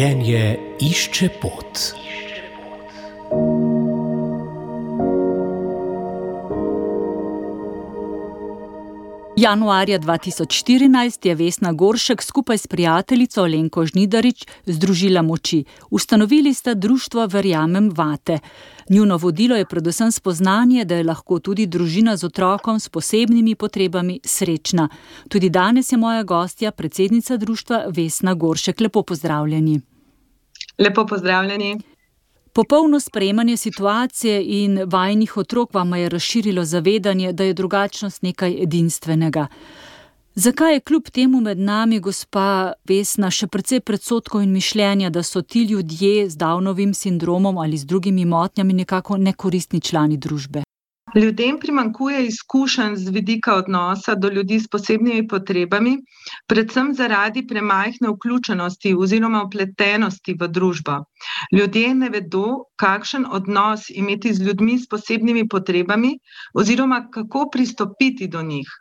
Življenje išče pot. Januarja 2014 je Vesna Goršek skupaj s prijateljico Alenko Žnidarič združila moči. Ustanovili sta društvo Verjamem vate. Njuno vodilo je predvsem spoznanje, da je lahko tudi družina z otrokom s posebnimi potrebami srečna. Tudi danes je moja gostja, predsednica društva Vesna Goršek. Lepo pozdravljeni. Lepo pozdravljeni. Popolno sprejemanje situacije in vajinih otrok vama je razširilo zavedanje, da je drugačnost nekaj edinstvenega. Zakaj je kljub temu med nami, gospa Vesna, še precej predsodkov in mišljenja, da so ti ljudje z Downovim sindromom ali z drugimi motnjami nekako nekoristni člani družbe? Ljudem primanjkuje izkušenj z vidika odnosa do ljudi s posebnimi potrebami, predvsem zaradi premajhne vključenosti oziroma vpletenosti v družbo. Ljudje ne vedo, kakšen odnos imeti z ljudmi s posebnimi potrebami oziroma kako pristopiti do njih.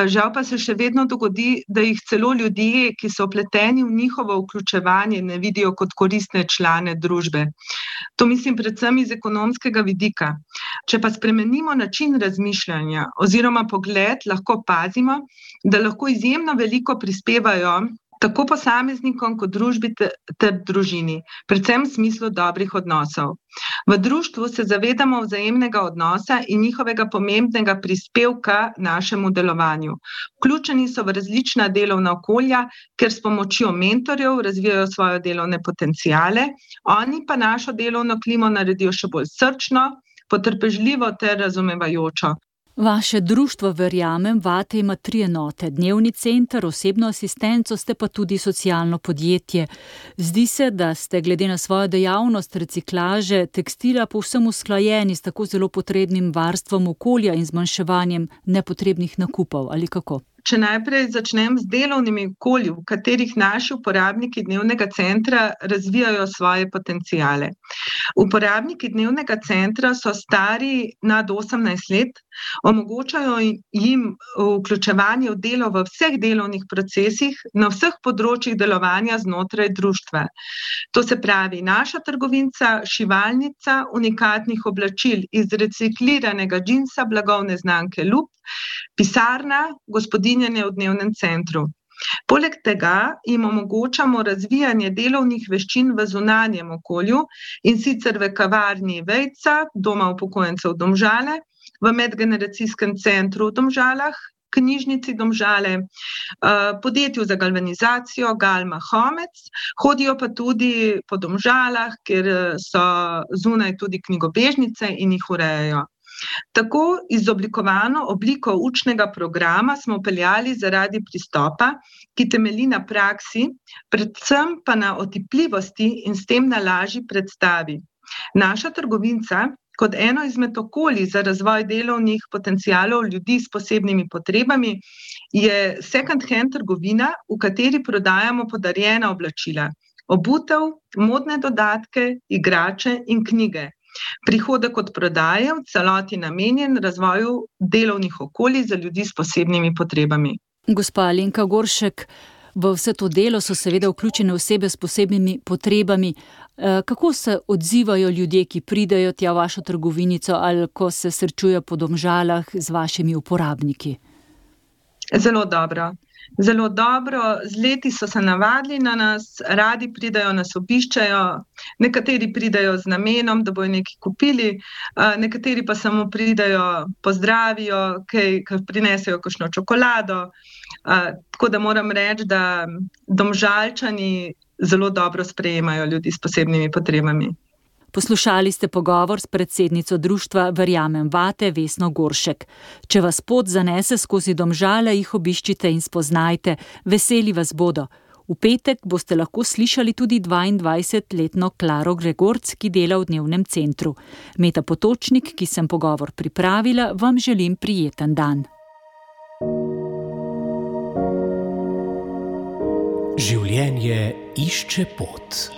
Žal pa se še vedno dogodi, da jih celo ljudje, ki so vpleteni v njihovo vključevanje, ne vidijo kot koristne člane družbe. To mislim predvsem iz ekonomskega vidika. Če pa spremenimo način razmišljanja oziroma pogled, lahko opazimo, da lahko izjemno veliko prispevajo tako posameznikom kot družbi ter družini, predvsem v smislu dobrih odnosov. V društvu se zavedamo vzajemnega odnosa in njihovega pomembnega prispevka našemu delovanju. Vključeni so v različna delovna okolja, ker s pomočjo mentorjev razvijajo svoje delovne potenciale, oni pa našo delovno klimo naredijo še bolj srčno, potrpežljivo ter razumevajočo. Vaše društvo Verjamem vate ima 3 enote, dnevni center, osebno asistenco, ste pa tudi socialno podjetje. Zdi se, da ste glede na svojo dejavnost reciklaže tekstila povsem usklajeni s tako zelo potrebnim varstvom okolja in zmanjševanjem nepotrebnih nakupov, ali kako? Če najprej začnem z delovnimi okolji, v katerih naši uporabniki dnevnega centra razvijajo svoje potenciale. Uporabniki dnevnega centra so stari nad 18 let, omogočajo jim vključevanje v delo v vseh delovnih procesih, na vseh področjih delovanja znotraj društva. To se pravi naša trgovinca, šivalnica, unikatnih oblačil iz recikliranega džinsa blagovne znamke Lup, pisarna, gospodinjenje v dnevnem centru. Poleg tega jim omogočamo razvijanje delovnih veščin v zunanjem okolju, in sicer v kavarni Vejca, doma upokojencev Domžale, v medgeneracijskem centru v Domžalah, knjižnici Domžale, podjetju za galvanizacijo Galma Homec, hodijo pa tudi po Domžalah, kjer so zunaj tudi knjigobežnice in jih urejajo. Tako izoblikovano obliko učnega programa smo vpeljali zaradi pristopa, ki temelji na praksi, predvsem pa na otipljivosti in s tem na lažji predstavi. Naša trgovinca, kot eno izmed okolij za razvoj delovnih potencialov ljudi s posebnimi potrebami, je second hand trgovina, v kateri prodajamo podarjena oblačila, obutev, modne dodatke, igrače in knjige. Prihodek od prodaje v celoti namenjen razvoju delovnih okolij za ljudi s posebnimi potrebami. Gospa Alenka Goršek, v vse to delo so seveda vključene osebe s posebnimi potrebami. Kako se odzivajo ljudje, ki pridejo tja v vašo trgovinico ali ko se srečujejo po Domžalah z vašimi uporabniki? Zelo dobro. Zelo dobro, z leti so se navadili na nas, radi pridejo, nas obiščajo, nekateri pridejo z namenom, da bojo nekaj kupili, nekateri pa samo pridejo, pozdravijo, prinesejo kakšno čokolado, tako da moram reči, da Domžalčani zelo dobro sprejemajo ljudi s posebnimi potrebami. Poslušali ste pogovor s predsednico društva Verjamem vate Vesno Goršek. Če vas pot zanese skozi Domžale, jih obiščite in spoznajte, veseli vas bodo. V petek boste lahko slišali tudi 22-letno Klaro Gregorc, ki dela v dnevnem centru. Meta Potočnik, ki sem pogovor pripravila, vam želim prijeten dan. Življenje išče pot.